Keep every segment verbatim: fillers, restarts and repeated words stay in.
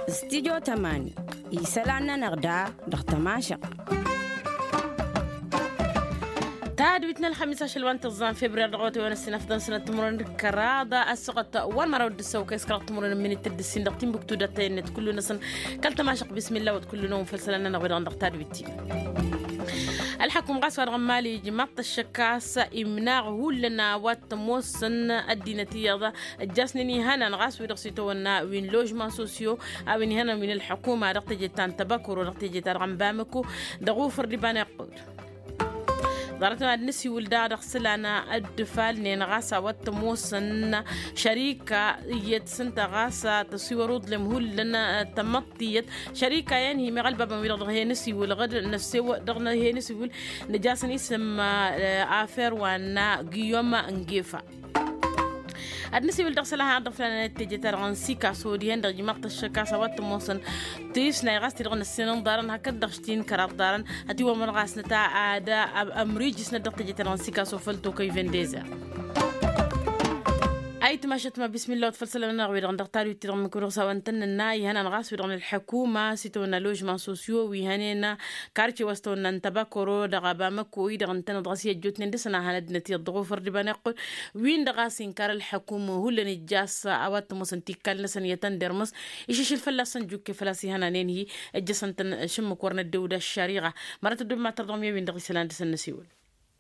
Studyo tămani isălan-nănăɣ da dăɣ-tămašăɣt. Tadwit n-ălxămis ašăl wa n-tǝẓẓan februar dăɣ-awătay wa n-ăssinăfḍăn sănăt timǝrwen d-kăraḍ ăssuɣăt wa n-măraw d-ǝssăw kăy-s kăraḍ timǝrwen n-minit d-ǝssin dăɣ-timbuktu d-ăttăyăn-net kullu-năsăn kăl-tămašăɣt bismilla wăt kullu-năwăn făll-isălan-nănăɣ wi-dăɣ dăɣ-tadwit-ti. Ălḥăkum ɣas wa dăɣ-n mali ijmaḍ-t ăššăk a-s imnaɣ hullan a-wa t-ămoosăn ăddinăt iyyăḍ ăjjaasnen ihănan ɣas wi-dăɣ s-itawănna wi n-ložman sosyo a-wen ihănan wi n-ălḥăkuma dăɣ-teje ta n-tăbakăro dăɣ-teje ta dăɣ-n bamăko dăɣ-ufǝr d-iba n-iqqud. Ḍarăt n-ad-nǝsiwǝl daɣ dăɣ-isălan dd-ǝfalnen ɣas a-wa t-ămoosăn šărika iyyăt s-ǝnta ɣas tăsiwăr uḍlem hullan tămăḍt tiyyăt šărika i-ănhi meɣ ălbabăn wi-dăɣ dăɣ-he-nǝsiwǝl ɣǝd năfsew dăɣ-he-nǝsiwǝl. Nǝja-săn isǝm afer wa n-giyom n-gefa. Ad-nǝsiwǝl dăɣ-isălan hanăt-dăɣ făll-anăt teje-ta-dăɣ n-sikaso dihen-dăɣ ijmaḍ-t ăššăk a-s a-wa t-ămoosăn tisnay ɣas ti-dăɣ năssinăn ḍarăn hakd-dăɣ štin kăraḍ ḍarăn. Ătiwămăr ɣas nǝta ad-ămrijǝsnăt dăɣ-teje-ta-dăɣ n-sikaso făll-tokăy vendeze. Ayǝtmašăt ma bismilla wăt făll-isălan-nănăɣ wi-dăɣ dăɣ-tadwit-ti-dăɣ mǝkǝwăr s-a-wa ǝntănnănna ihănan ɣas wi-dăɣ n-ălḥăkuma s-itawănna ložman sosyo wi hănen karce wa s-tawănna n-tăbakăro dăɣ-abamăko-i-dăɣ ǝntănăt ɣas i-ăjjootnen dăɣ-săn a hanăt-dăɣ n-ăddinăt iyyăḍ dăɣ-ufăr d-iba n-iqqud. Win-dăɣ a-s inkar ălḥăkum hullan ijjas a-wa t-ămoosăn tikkal-năsăn i-tăn-dermǝs išǝšǝl fălla-săn jukke făl-a-s ihănanen-hi. Ăjjăsăn-tăn šǝmmǝk wăr năddewǝd ăššăriɣa. Mărat ăddob ma tăr dăɣ-mi a-wen-dăɣ isălan dăɣ-săn năsiwǝl.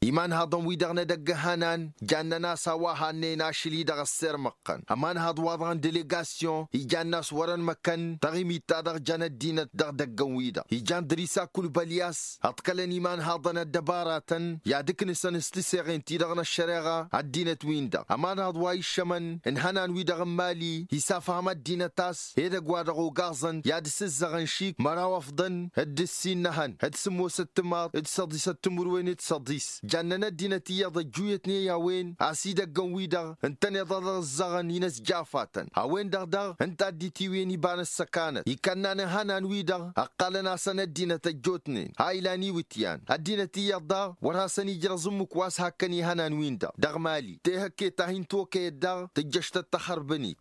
Imanhaḍăn-wi-dăɣ n-edăgg ihănan jannăn a-s a-wa hannen ašăl-i-dăɣ ăssirmăɣ-tăn ămanhăḍ wa dăɣ-n delegasyon ijann'-as wăr-ănmăkăn taɣimit-ta-dăɣ jăn ăddinăt dăɣ-idăggăn-wi-dăɣ ijan dăr-isa kulbăl i-a-s ǝḍkălăn imanhaḍăn ăddăbaratăn i-ad-ǝknǝsăn s-tiseɣen-ti-dăɣ n-ăššăreɣa. Ăddinăt-win-dăɣ ămanhaḍ wa iššămăn n-ihănan-wi-dăɣ n-imali isafhăm ăddinăt a-s edăgg wa dăɣ-ogaẓăn i-ad-sǝzzăɣăn šik măraw ăfḍăn d-ǝssin n-ehăn d-sǝmmosăt timaḍ d-săḍisăt timǝrwen d-săḍis. Jannăn ăddinăt iyyăḍ ăjjuyătnen i-a-wen a-s idăggăn-wi-dăɣ ǝntăneḍ ad-ăẓẓăɣăn-in ăsjafatăn a-wen-dăɣ daɣ ǝnta dd-itiwǝyăn iba n-ăssăkanăt ikănnan ihănan-wi-dăɣ ăqqalăn-asăn ăddinăt ăjjootnen ha ilan iwǝtyan ăddinăt iyyăḍ daɣ wăr hasăn-ijrăẓ ǝmmǝk wa s-hakkăn ihănan-win-dăɣ dăɣ-mali tehăkket ta hin-tokăyăt daɣ tǝjjăš-tăt tăxărbǝnit.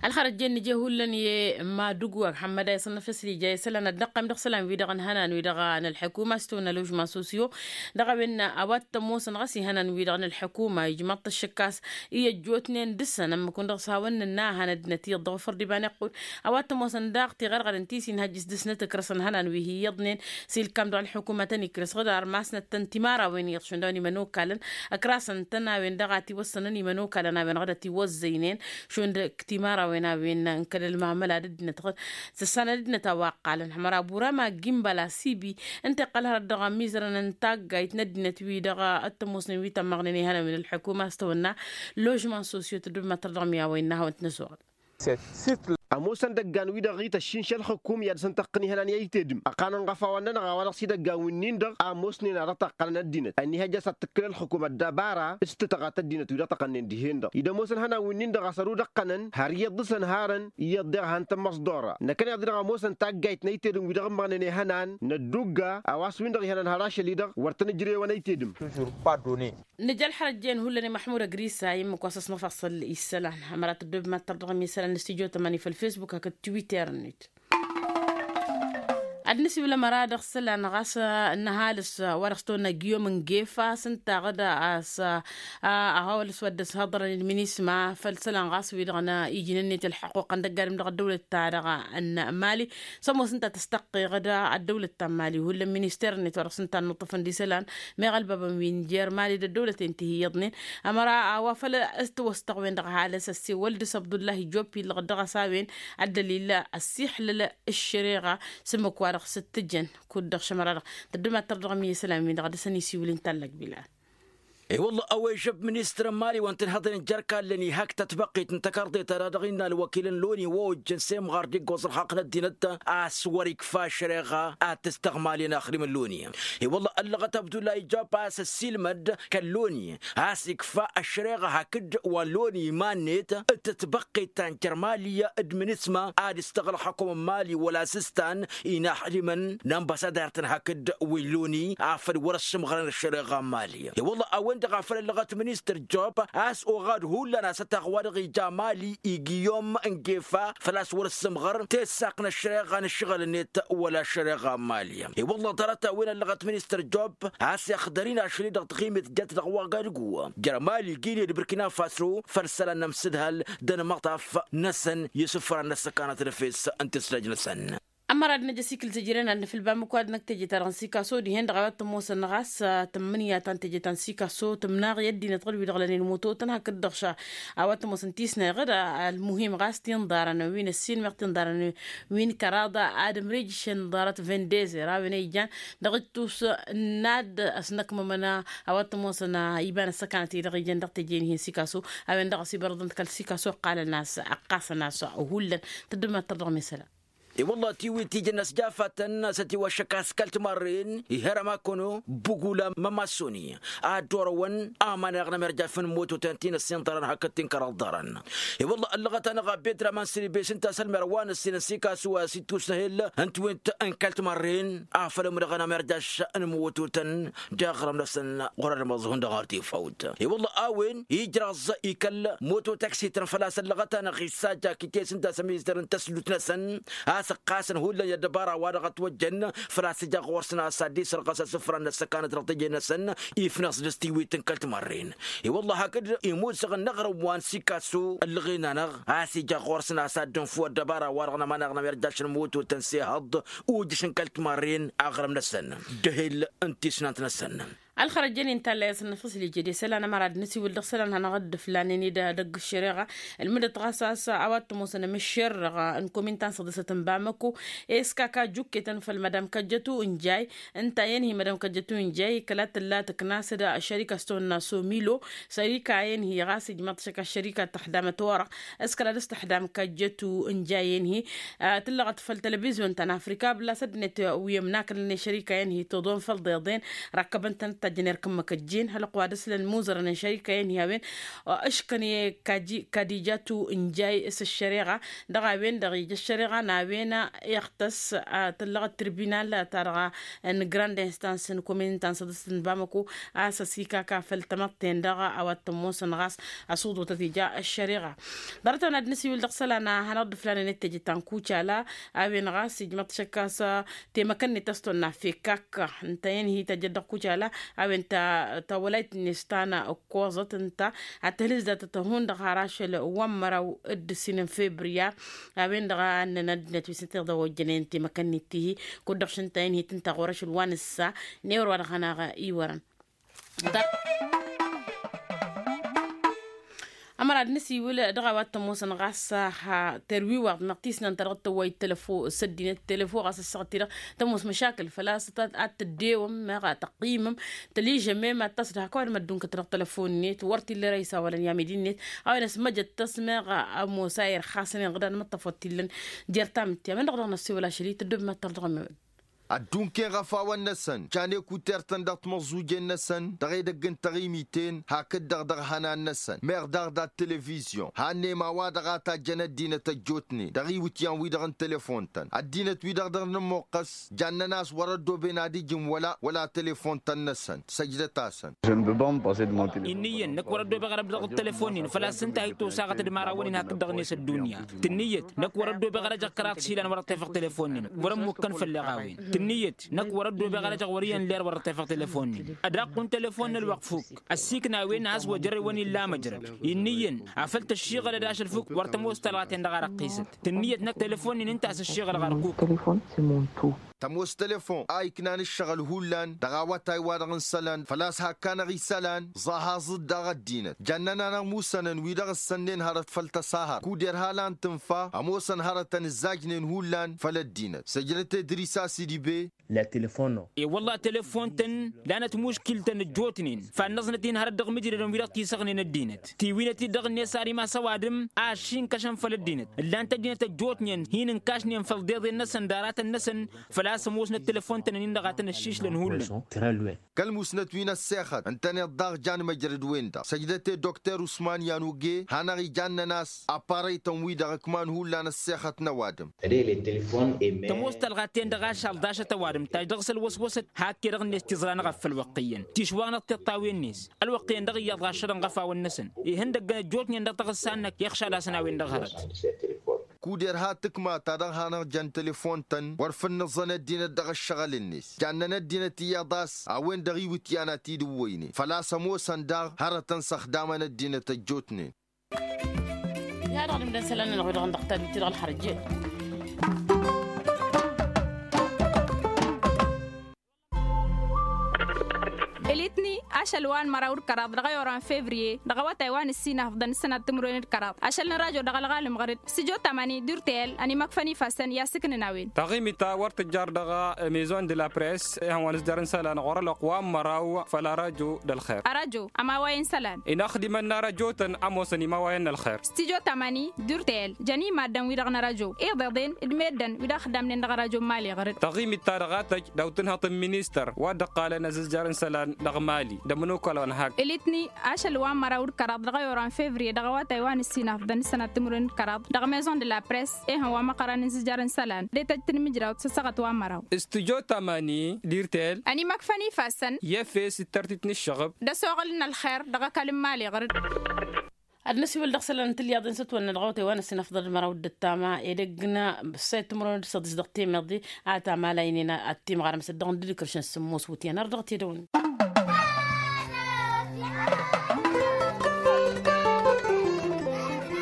Ălxărăt jen nǝje hullan i-madugwag hămmăd a isănnăf s-ija isălan ad-năqqăm dăɣ-isălan-wi-dăɣ n-ihănan-wi-dăɣ n-ălḥăkuma s-tawănna ložman sosyo dăɣ-a-wen a-wa t-ămoosăn ɣas ihănan-wi-dăɣ n-ălḥăkuma ijmăḍ-t ăššăk a-s i-ăjjootnen dăɣ-săn ămmăkun dăɣ-s hawăn-nǝnna a hanăt-dăɣ n-ăddinăt iyyăḍ dăɣ-ufăr d-iba n-iqqud. A-wa t-ămoosăn daɣ tiɣărɣădăn ti s-inhăjjǝs dăɣ-snăt ǝkrăsăn ihănan wi hi-iyyăḍnen s-ilkam dăɣ-ălḥukuma tăn-ikrăs ɣǝd armasnăt-tăn timărawăn iyyăḍ šund a-wen imănokalăn ăkrasăn-tăn a-wen-dăɣ a tiwăssănăn imănokalăn a-wen ɣǝd ătiwăzzăynen šund timărawăn a-wen n-kăl-ălmamăla d-ăddinăt ɣǝd s-ăssanăt d-ăddinăt a-wa ǝqqalăn hămăra burama gimbăla sibi ǝnta iqqăl hărăt dăɣ-amizărăn n-taggayt n-ăddinăt wi-dăɣ ăttămoosnen wi tămmăɣnen ihănăn wi n-ălḥukuma a-s tăwănna ložman sosyo tăddub măttăr dăɣ-mi a-wa innă a hawăn-t-năsoɣăd. Săt-săt ămoosăn idăggan-wi-dăɣ i-tăššinša ălxukum i-ad-săn-tăqqǝn ihănan i-ayǝtedǝm ăqqanăn ɣăf a-wa-nănăɣ a-wa dăɣ-s idăggan wi-nin-dăɣ a ămoosnen a dăɣ-taqqălăn ăddinăt ănnihăjja s-ad-tǝkkǝl ălxukum ăddabara s-tǝtăɣat ăddinăt wi dăɣ-tăqqănnen dihen-dăɣ id-ămoosăn ihănan wi-nin-dăɣ a-s ărudăɣ-tănăn har iyyăḍ dăɣ-săn harăn iyyăḍ deɣ a han-tămmăẓḍora năkkăneḍ-i-dăɣ ămoosăn taggayt n-ayǝtedǝm wi dăɣ-ǝmmăɣnen ihănan n-ăddugga a-wa s-win-dăɣ ihănan har ašăl-i-dăɣ wăr tăn-ǝjrewăn ayǝtedǝm. Nǝja ălxărăt jen hullan i-măḥmud ăgrisa i-ǝmmǝk wa s-ăsnăfaṣăl isălan. Hămăra tăddobem ad-tărdăɣăm isălan n-studyo tămani făll-facebook hakd twitter-net. Ad-nǝsiwǝl ămăra dăɣ-isălan ɣas n-ăhalǝs wa dăɣ-s tăwănna giyom n-gefa s-ǝnta ɣǝd a-s a ăhalǝs wa dd-ăshăḍrăn ilminisma făll-isălan ɣas wi-dăɣ n-ijnǝn-net ălḥăqquq n-dăgg-adǝm dăɣ-ăddăwlăt-ta-dăɣ n-mali. S-ămoos ǝnta tăstăqqeɣ-dd ăddăwlăt ta n-mali hullan minister-net wa dăɣ-s ǝnta ănnuṭṭăfăn d-isălan meɣ ălbabăn wi n-jer-mali d-ăddăwlăten ti hi-iyyăḍnen. Ămăra a-wa făl s-tǝwăstăɣ-wen-dăɣ ăhalǝs ăssewăl dăɣ-s abdullahi jopi ǝllăɣ-dd dăɣ-s a-wen ăddălil ăssiixlăl ǝššăreɣa s-ǝmmǝk wa dăɣ-s ǝttǝjăn. Kud-dăɣ šămăra-dăɣ tăddǝm ad-tărdăɣăm i-isălan-win-dăɣ ad-dăɣ-săn isiwǝl inta n-lăgbila. E-wălla a-wa ijăb ministăr n-mali wa n-tǝnhăḍăn ǝjjărkallăn ihak tătbăqqit n-tăkarḍe-ta-dăɣ dăɣ-innă ălwăkil n-loni wa ojjăn s-emɣar d-iggoẓ ălxaqq n-ăddinăt a-s wăr-ikfa ašăreɣa ad-tǝstăɣmalin axrim n-loni. E-wălla ăllăɣăt abdullahi ijab a-s ăssiilmăd kăl-loni a-s ikfa ăššăreɣa hakd wa n-loni iman-net d-tătbăqqit ta n-jer-mali d-minisma ad-ǝstăɣ ălxăkum n-mali wăla s-ǝstan inaxrimăn n-anbăsadar-tăn hakd wi n-loni afăl wăr-ăssǝmɣărăn ăššăreɣa n-mali. E-wălla a-wen dăɣ-afăl ăllăɣăt ministăr job a-s oɣad hullan a-s ătaɣ wa dăɣ-ija mali igiyom n-gefa făl-a-s wăr-ǝssǝmɣăr tessaq n-ăššăreɣa n-ǝššăɣǝl-net wăla ăššăreɣa n-mali. I-wălla ḍarăt-a-wen ăllăɣăt ministăr job a-s ixdăr-in ašăl-i dăɣ-taɣimit jat dăɣ-wa gad-gǝwwă jer-mali gine d-bărkina faso făll-isălan n-amsǝdhal d-ănmăṭṭaf-năsăn i-isǝfran n-ăssăkanăt d-efes n-tǝslăj-năsăn. Ămăra d-năj ăsikǝl tǝjrăyăn ad-nǝfǝl bamǝk wa dăɣ-năk teje-ta-dăɣ n-sikaso dihen-dăɣ a-wa t-ămoosăn ɣas tǝmmǝnǝya ta n-teje ta n-sikaso tǝmnaɣ i-ăddinăt ɣǝd-wi-dăɣ lănen mototăn hakd-dăɣ ša a-wa t-ămoosăn tisnayăɣ-dd. Ălmuhim ɣas tinḍarăn wi n-ăssin meɣ tinḍarăn wi n-kăraḍa ad-ǝmrǝjšăn ḍarăt vendeze ra-wen a ijan dăɣ-ittus n-ad-ăsnăkmămăn a-wa t-ămoosăn iba n-ăssăkanăt-i-dăɣ ijăn dăɣ-teje-in-hi n-sikaso a-wen-dăɣ a-s ibărăḍăn-t kăl-sikaso ǝqqalăn a-s ǝqqasăn a-s hullan. Tăddǝm ad-tărdăɣ mesăla. I-wălla tiwit tijăn asjafatăn a-s ătiwăššăk a-s kăl-timarren iherăm akăno bugula mămasoni a ăddoorăwăn aman eɣnăm irjafăn mototăn ti n-ăssinḍărăn hakd ti n-kăraḍ ḍarăn. I-wălla ăllăɣăt-anăɣ a bedraman sălibes ǝnta a-s ălmer wa n-ăssin n-sikasu a-s ittus n-ehel n-tiwit n-kăl-timarren afăl ămdăɣăn amerjaš n-mototăn d-aɣrǝm-năsăn ɣur-ad-măẓhun dăɣ-artifăwt. I-wălla a-wen ijrăẓ ikăl mototaksităn făl-a-s ăllăɣăt-anăɣ issajak ites ǝnta a-s ămizăr n-tăslut-năsăn a-s ǝqqasăn hullan i-ăddăbara wa dăɣ-ătwăjjăn făl-a-s ija ɣur-săn a-s ad-dd-isărɣăs asǝfra n-ăssăkanăt dăɣ-teje-năsăn. Ifnăɣ s-dăɣ-s tiwit n-kăl-timărren. I-wălla hakd imuzăɣ n-aɣrǝm wa n-sikasu ǝllăɣen-anăɣ a-s ija ɣur-săn a-s ad-dd-ǝnfu ăddăbara wa dăɣ-nămăneɣ n-amerjaš n-mototăn s-ehăḍ ujǝšăn kăl-timărren aɣrǝm-năsăn d-ehel n-tisnant-năsăn. Ălxărăt jăn-in talla i-asăn năfăsli jede isălan ămăra d-năsiwǝl dăɣ-isălan hanăɣ-dd-ǝflanen-dd dăgg-ăššăreɣa ǝlmǝdăt ɣas a-s a-wa t-ămoosăn amǝššerrăɣ n-komin ta n-săḍisăt n-bamăko. Eskaka jukketăn făll-madam kăjjătu n-jay ǝnta i-ănhi madam kăjjătu n-jay kăla tǝlla tǝknas-dd ăššărika s-tăwănna somilo. Sărika i-ănhi ɣas ijmăḍ-t šăkk ăššărika tăxdamăt orăɣ s-kăla dăɣ-s tăxdam kăjjătu n-jay i-ănhi. Tǝllăɣăt făll-telăvizyun ta n-afrika bǝllas ăddinăt wi ămnakălăn i-šărika i-ănhi toḍon făll-iḍeḍen rakkăbăn-tăn d-tajjăn irk n-imăkăjjen hălăqq wa dăɣ-s lăn muzărăn n-šărika i-ănhi a-wen. Ǝškăn i-kadijatu n-jay s-ăššăreɣa dăɣ-a-wen-dăɣ ija ăššăreɣa n-a-wen iɣtăs. Tǝllăɣăt tirbinal ta dăɣ-a n-grand instans n-komin ta n-săḍǝst n-bamăko a-s ăsikaka făll-tamăḍten-dăɣ a-wa t-ămoosăn ɣas ăsuḍutăt ija ăššăreɣa. Ḍarăt-a-wen ad-năsiwǝl dăɣ-isălan a hanăɣ-dd-ǝflanen d-teje ta n-kucala a-wen ɣas ijmăḍ-t šăkk a-s temăkăn-net a-s tonna fekak ǝnta i-ănhi tăjjăt dăɣ-kucala a-wen ta wălayt-net ta n-ǝkkoẓăt ǝnta ad-tăhlǝzdatăt hundăɣ har ašăl wa n-măraw d-ǝssin n-febriya. A-wen-dăɣ a ǝnnăn ăddinăt wi s-ǝnta iḍa ojjănen temăkăn-net tihi kud-dăɣ šăn ǝnta i-ănhi tǝnta ɣur-ašăl wa nǝssa. Newăr wa dăɣ-hanăɣ-iwărăn. Ămăra d-nǝsiwǝl dăɣ-a-wa t-ămoosăn ɣas terwiwaḍ meɣ tisnant ta dăɣ-tăwway telefo s-ăddinăt telefo ɣas ăssaɣăt-i-dăɣ tămoos măšakǝl făl-a-s ad-tăddewăm meɣ tăqqimăm tăližămem ad-tasdăh kăwad măddunkăt dăɣ-telefon-net wăr t-illa ere isawălăn i-amidi-net. A-wen ăsmăjăt tăsmeɣ ămoos a irxasăn inɣǝdan măṭṭăf wăr t-illăn. Jer-tamǝtte a-wen-dăɣ dăɣ-năssiwǝl ašăl-i tăddobem ad-tărdăɣ ămewăd. Ăddunkăyăn ɣăf a-wăn-năsăn can ekut irtăn dăɣ-timăẓẓujen-năsăn dăɣ-edăgg n-taɣimiten hakd-dăɣ dăɣ-ihănan-năsăn meɣ daɣ dat-televizyon. Hannem a-wa-dăɣ a tajjăn ăddinăt ăjjootnen dăɣ-iwǝtyan-wi-dăɣ n-telefon-tăn ăddinăt-wi-dăɣ dăr-nǝmmuqqăs. Jannăn a-s wăr-ăddooben ad-ǝjǝn wăla wăla telefon-tăn-năsăn săjdăt-asăn. Innă iyyăn năkk wăr-ăddoobeɣ ad-ăbdăɣ d-telefon-nin făl-a-s ǝnta a ittosaɣăt d-imărawăn-in hakd-dăɣ-net ăddunya. Tǝnnǝyăt năkk wăr-ăddoobeɣ ad-ăjăɣ kăraḍ s-ilan wăr-ăṭṭefăɣ telefon-nin wăr-ămmukkăn făll-eɣawen. Tǝnnǝyăt năkk wăr-ăddoobeɣ ad-ăjăɣ wăr-iyyăn ler wăr-ăṭṭefăɣ telefon-nin. Ădaqq n-telefon n-ălwăqq fukk ăssiikna a-wen a has-wăjrăd wăn-illa amăjrăd. Innă iyyăn afăl tăššiɣălăd ašăl fukk wăr tămoos talɣa-ten-dăɣ a răqqisăt. Tǝnnǝyăt năkk telefon-nin ǝnta a-s ăššiɣălăɣ ărkuk. Tămoos telefon a iknan ǝššăɣǝl hullan dăɣ-awătay-wa-dăɣ n-isălan făl-a-s hak-anăɣ isălan. Ẓahaẓ-dd daɣ ăddinăt jannăn-anăɣ musănăn wi-dăɣ ǝssănnen hărăt făll-tăsahăr kud-erha lan tǝnfa ămoosăn hărătăn ǝzzajnen hullan făll-ăddinăt săjdăt edris asidibe. La telefono. E-wălla telefon-tăn lanăt muškil-tăn ăjjootnen fannăẓnăt-in hărăt dăɣ-imǝjrădăn wi-dăɣ tisăɣnen ăddinăt tiwinăt-dd dăɣ-net ar imas ăwadǝm a ăššinkăšăn făll-ăddinăt ǝllan-t ăddinăt ăjjootnen hin-ǝnkašnen făll-iḍeḍen-năsăn d-aratăn-năsăn. Făl-a-s ămoosnăt telefon-tăn-ǝnnin-dăɣ a tăn-ăššišlăn hullan. Kăl-musnăt wi n-ăssexăt ǝntăneḍ daɣ jan măjrăd-wen-dăɣ săjdăt i-dokter usman yanuge hanăɣ-ijannăn a-s aparăy-tăn-wi-dăɣ ǝkman hullan ăssexăt n-ăwadǝm. Tămoos talɣa-ten-dăɣ ašăl d-ašăl. Tăwadǝm taj dăɣ-s ălwăswăsăt hak-e-dăɣ-net tiẓra n-eɣăf făll-wăqqi-iyyăn tišwa n-ăṭṭiṭṭawen-net. Ălwăqqi-iyyăn dăɣ-iyyăḍ ɣašădăn ɣăfawăn-năsăn ihăndăggăn ăjjootnen dăɣ-taɣǝssa-năk iɣšal-asăn a-wen-dăɣ hărăt. Kud-irha tǝkma ta dăɣ-hanăɣ-jan telefon-tăn wăr făl nǝẓẓăn ăddinăt dăɣ-ăššăɣǝl-net. Jannăn ăddinăt iyyăḍ a-s a-wen-dăɣ iwǝtyan a t-dd-ǝwwăynen făl-a-s ămoosăn daɣ hărătăn s-ăxdamăn ăddinăt ăjjootnen. I-ad-dăɣ-dămdăn isălan-nănăɣ wi-dăɣ n-dăɣ tadut-i-dăɣ ălxărăjje. Elitni ašăl wa n-măraw d-kăraḍ dăɣ-ayoran fevriye dăɣ-awătay wa n-ǝssinafḍăn d-sănat timǝrwen d-kăraḍ ašăl n-rajo dăɣ-ălɣalăm ɣăr-dd s-tijo tamani d-urtel ănimăkfăn ifassăn i-asǝknăn a-wen. Taɣimit-ta wăr tǝjjar dăɣ-maison de la press ihăn wa n-ǝzjar n-isălan ɣur-ălwăqq wa n-măraw făll-arajo d-ălxer. Arajo ămawayăn isălan. Inaxdimăn n-arajotăn ămoosăn imawayăn n-ălxer. Stijo tamani d-urtel jăn imaddăn-wi-dăɣ n-arajo iḍeḍen d-meddǝn wi-dăɣ ăxdamnen dăɣ-arajo n-imali ɣăr-dd. Taɣimit-ta-dăɣ a tăj daw-tǝnhăḍt n-ministăr wa dd-ăqqalăn azǝzjar n-isălan dăɣ-imali d-ămănokal wa n-hak. Elitni ašăl wa n-măraw d-kăraḍ dăɣ-ayoran fevriye dăɣ-awătay wa n-ǝssinafḍăn d-sănat timǝrwen d-kăraḍ dăɣ-maison de la press ehăn wa măqqărăn n-azǝzjar n-isălan d-etăjt n-imǝjrawt s-ăssaɣăt wa n-măraw. Stijo tamani d-urtel ănimăkfăn ifassăn i-efes d-tărtit n-ǝššăɣǝb d-ăsoɣăl n-ălxer dăɣ-ăkall n-imali ɣăr-dd. Ad-năsiwǝl dăɣ-isălan n-tilyaḍen s-ătwănna dăɣ-awătay wa n-ăssinafḍăn d-măraw d-ăttama edăgg n-ăssayăt timǝrwen d-săḍis dăɣ-temeḍe a tamala inen ad-timɣarăm s-ăddăɣ n-dd-ikrǝšăn s-sǝmmos wǝtyan ar dăɣ-t edăwăn.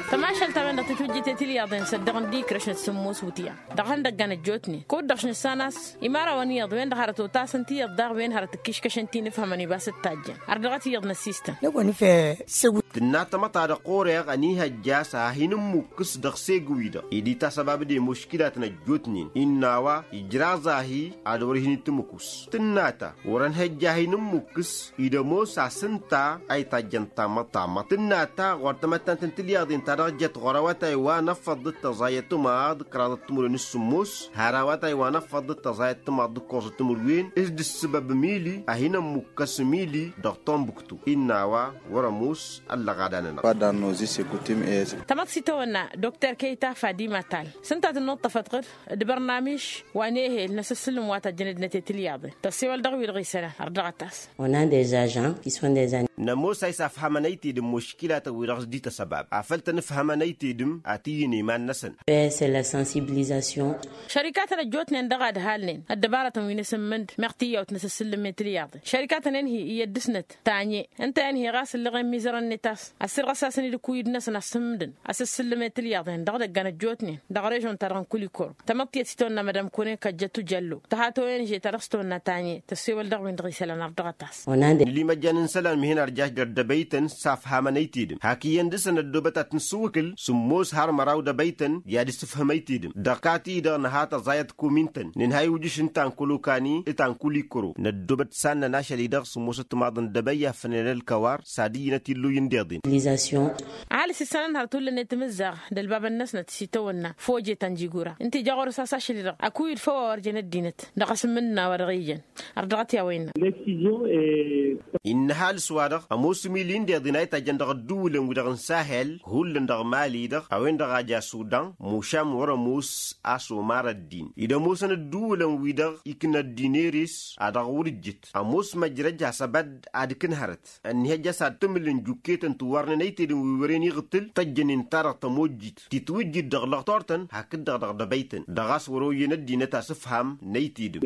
Tămašalt-a-wen-dăɣ tǝtwǝjjǝytet i-tilyaḍen s-ăddăɣ n-dd-ikrǝšăn s-sǝmmos wǝtyan dăɣ-ihăndăggan ăjjootnen kud-dăɣ šnǝssan a-s imărawăn iyyăḍ wen-dăɣ hărăt otasăn tiyyăḍ daɣ wen hărăt ǝkkiškăšăn ti n-ifhămăn ibas d-tajjăn. Ărdăɣăt iyyăḍ n-ăssistăn. Tǝnna tamăḍt ta dăɣ-ɣur-eɣ ănihăjja a-s ad-hin-ǝmmukkǝs dăɣ-seg-wi-dăɣ ed itasăbabăd i-muškilatăn ăjjootnen innă a-wa ijraẓ a-hi ad-wăr-hin-tǝmǝkus. Tǝnna ta wăr-ănhăjja ad-hin-ǝmmukkǝs ed ămoos a-s ǝnta a itajjăn tamăḍt tamăḍt tǝnna ta ɣur-tamăttant n-tilyaḍen ta dăɣ-jăt ɣur-awătay wa n-ăffăḍ d-tăẓayăt timaḍ kăraḍăt timǝrwen s-sǝmmos har awătay wa n-ăffăḍ d-tăẓayăt timaḍ d-ǝkkoẓăt timǝrwen s-dd-ǝssǝbăb mili ad-hin-ămmukkăs mili dăɣ-tombuktu. Innă a-wa wăr-ămoos ăllăɣada-nănăɣ. Tamăḍt s-itawănna dokter kăyta fadima tal s-ǝnta tǝnnuṭṭăfăt ɣǝr d-bărnamiš wa n-ehel n-asǝssǝlǝm wa tăjjăn ăddinăt i-tilyaḍen tăssewăl dăɣ-wi-dăɣ isălan ărdăɣăt-as. Nămoos a isafhamăn ăytedǝm muškilatăn-wi-dăɣ s-dd-ităsăbab afăl tăn-ǝfhămăn ăytedǝm ad-t-iyyǝn i-iman-năsăn. Šărikatăn ăjjootnen dăɣ-ad-halnen ăddăbarătăn wi n-asǝmmǝnd meɣ tiyyawt n-asǝssǝllǝm i-tilyaḍen šărikatăn-en-hi iyyăt dăɣ-snăt tanye ǝnta-en-hi ɣas ǝllăɣen mizărăn-net a-s ăssirɣăs-asăn-dd ǝkuyǝd-năsăn asǝmmǝdăn asǝssǝllǝm i-tilyaḍen dăɣ-idăggan ăjjootnen dăɣ-režon-ta-dăɣ n-kulikoro. Tamăḍt tiyyăt s-itawănna madam kone kăjjătu jăllo tăhat o-en žeta dăɣ-s tawănna tanye tăssewăl dăɣ-win-dăɣ isălan ărdăɣăt-as. Nǝlimăjjan n-isălan mihen ărjaš d-ăddăbăytăn s-afhamăn ăytedǝm hak iyyăn dăɣ-săn ăddoobăt ad-t-nǝssǝwǝkǝl sǝmmos har măraw d-ebăytăn i-ad-ǝssǝfhǝm ăytedǝm dăɣ-kat-i-dăɣ nǝha tăẓayăt komin-tăn nǝnhăy wǝjǝš n-ta n-kolokani d-ta n-kulikoro năddoobăt s-ad-nănašăl-i-dăɣ sǝmmosăt timaḍăn d-ebăy afănen ălkăwar s-ad-iyyǝnăt illuy n-deḍen. Ăhalǝs isălan hărăt hullan i-timǝzzaɣ d-ălbabăn-năsnăt s-itawănna foje ta n-jigura ǝnta ija ɣur-s a-s ašăl-i-dăɣ ăkuyǝd făw a wăr jen ăddinăt dăɣ-asǝmmǝdăn a-wa dăɣ-ijăn. Ărdăɣăt i-a-wa innă. Innă ăhalǝs-wa-dăɣ ămoos imili n-deḍen a itajjăn dăɣ-ădduulăn-wi-dăɣ n-sahel hullan dăɣ-mali-dăɣ a-wen-dăɣ a ja sudan mušam wăr-ămoos a-s omar ăddin ed ămoosăn ădduulăn-wi-dăɣ ikna ăddin eres a dăɣ-wăr-ǝjjǝt ămoos măjrăj hasăb ad-dd-ad-kǝn hărăt. Ănnihăjja a-s ad-tǝmǝlǝn jukketăn tiwwarnen ăytedǝm wi wăren iɣtǝl tăjjănen-ta-dăɣ tămojjit titwǝjjǝd dăɣ-lăɣtor-tăn hakd-dăɣ dăɣ-dăbăytăn dăɣ-a-s wăr-oyyen ăddinăt asǝfham n-ăytedǝm.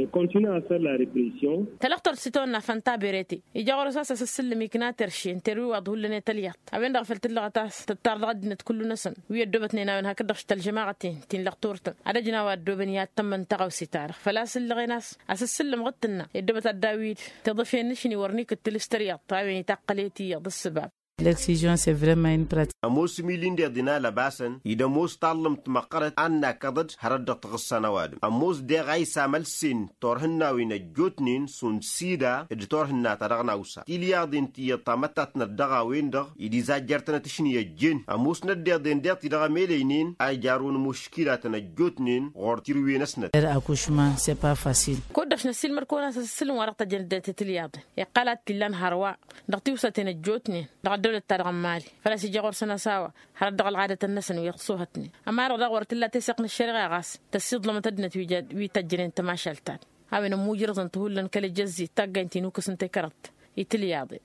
Tălăɣtort s-itawănna fănta berete ija ɣur-s a-s asǝssǝllǝm ikna terše n-terwiwaḍ hullan i-tălyaḍt a-wen-dăɣ făl tǝllăɣăt a-s tǝttar dăɣ-ăddinăt kullu-năsăn wi ăddoobătnen a-wen hakd-dăɣ šitălžămaɣăten ti n-lăɣtor-tăn ad-ăjnaw a ăddoobăn i-ad-tămmăn tăɣawse-ta-dăɣ făl-a-s ǝllăɣen a-s asǝssǝllǝm ɣǝd tǝnna i-ăddoobăt ad-dd-awǝy-dd tiḍǝfen n-ašni wăr n-ikǝttǝl s-tăryăḍt a-wen itaqqăl i-tiyyăḍ ǝssǝbab. Ămoos imili n-deḍen a lăbasăn ed ămoos tallǝmt măqqărăt a n-nakăḍăd hărăt dăɣ-taɣǝssa n-ăwadǝm ămoos deɣ a isamălsen turhǝnnawen ăjjootnen šund sida d-turhǝnna-ta-dăɣ n-awsa tilyaḍen tiyyăḍ tamăttatnăt dăɣ-a-wen-dăɣ ed izajjăr-tănăt ašni ăjjeen ămoosnăt deḍen deḍ-ti dăɣ-emeleinen a ijarrǝwăn muškilatăn ăjjootnen ɣur-tirǝwen-năsnăt. Kud-dăɣ šnăssilmăd-kăwăn-as asǝssǝlǝm wa dăɣ-tăjjăn ăddinăt i-tilyaḍen iqqăl ad-t-illan hărwa dăɣ-tiwsăten ăjjootnen dăɣ-ăddăwlăt-ta-dăɣ n-imali făl-a-s ija ɣur-săn a-s a-wa hărăt dăɣ-ălɣadăt-năsăn wi ăṣṣuhătnen ămăra-dăɣ daɣ wăr t-illa teseɣt n-ăššăreɣa ɣas tăssiḍlămăt ăddinăt wi tăjjănen tămašalt-ta-dăɣ. a-wen ămmujrăẓăn-t hullan kăl-ejăzzit taggaynt-in ukǝs n-tekărăḍt itǝlyaḍen.